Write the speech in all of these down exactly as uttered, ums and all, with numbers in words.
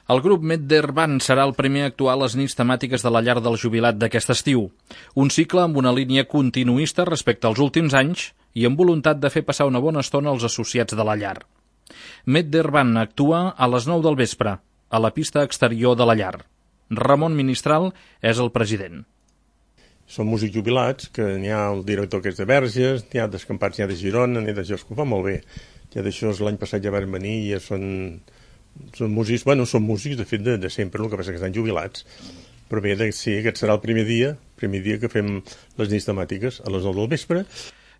El grup Medder Band serà el primer a actuar a les nits temàtiques de la llar del jubilat d'aquest estiu. Un cicle amb una línia continuista respecte als últims anys i amb voluntat de fer passar una bona estona als associats de la llar. Medder Band actua a les nou del vespre, a la pista exterior de la llar. Ramon Ministral és el president. Són músics jubilats, que n'hi ha el director que és de Verges, n'hi ha d'escampats, n'hi ha de Girona, n'hi ha d'això, que ho fa molt bé. Ja d'això l'any passat ja van venir i ja són... Són músics, bueno, són músics de fet de, de sempre, el que passa que estan jubilats. Però bé, de, sí, aquest serà el primer dia, primer dia que fem les nits temàtiques a les nou del vespre.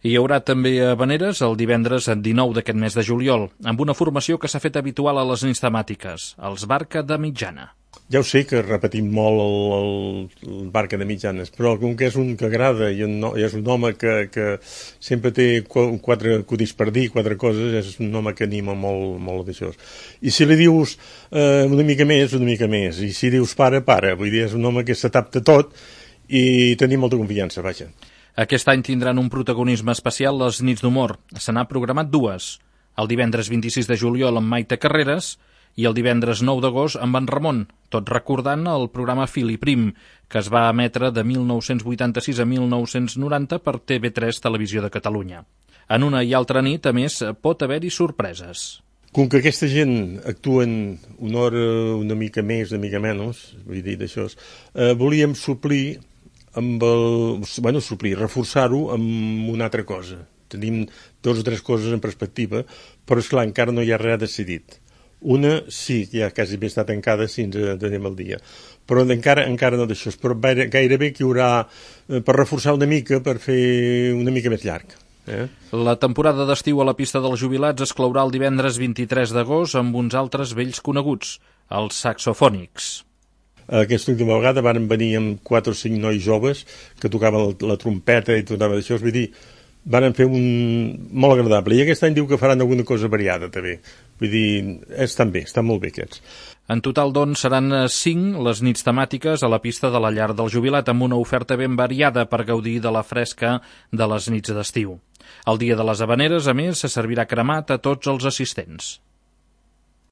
Hi haurà també habaneres el divendres dinou d'aquest mes de juliol, amb una formació que s'ha fet habitual a les nits temàtiques, els Barca de Mitjana. Ja ho sé que repetim molt el, el, el Barca de Mitjanes, però com que és un que agrada i un, és un home que, que sempre té quatre acudits per dir, quatre coses, és un home que anima molt, molt d'això. I si li dius eh, una mica més, una mica més, i si dius para, para, vull dir, és un home que s'adapta a tot i tenim molta confiança, vaja. Aquest any tindran un protagonisme especial les nits d'humor. Se n'ha programat dues, el divendres vint-i-sis de juliol amb Maite Carreras i el divendres nou d'agost amb en Ramon, tot recordant el programa Fil i Prim, que es va emetre de mil nou-cents vuitanta-sis a mil nou-cents noranta per T V tres Televisió de Catalunya. En una i altra nit, a més, pot haver-hi sorpreses. Com que aquesta gent actuen una hora una mica més, una mica menys, vull dir d'això, eh, volíem suplir, amb el, bueno, suplir, reforçar-ho amb una altra cosa. Tenim dues o tres coses en perspectiva, però esclar, encara no hi ha res decidit. Una sí, ja quasi bé està tancada si ens anem al dia, però encara, encara no d'això, però gairebé que hi haurà eh, per reforçar una mica, per fer una mica més llarg. Eh? La temporada d'estiu a la pista dels jubilats es clourà el divendres vint-i-tres d'agost amb uns altres vells coneguts, els saxofònics. Aquesta última vegada van venir amb quatre o cinc nois joves que tocaven la, la trompeta i tocaven d'això, vull dir, van fer un molt agradable. I aquest any diu que faran alguna cosa variada, també. Vull dir, estan bé, estan molt bé aquests. En total, doncs, seran cinc les nits temàtiques a la pista de la llar del jubilat, amb una oferta ben variada per gaudir de la fresca de les nits d'estiu. El dia de les habaneres, a més, se servirà cremat a tots els assistents.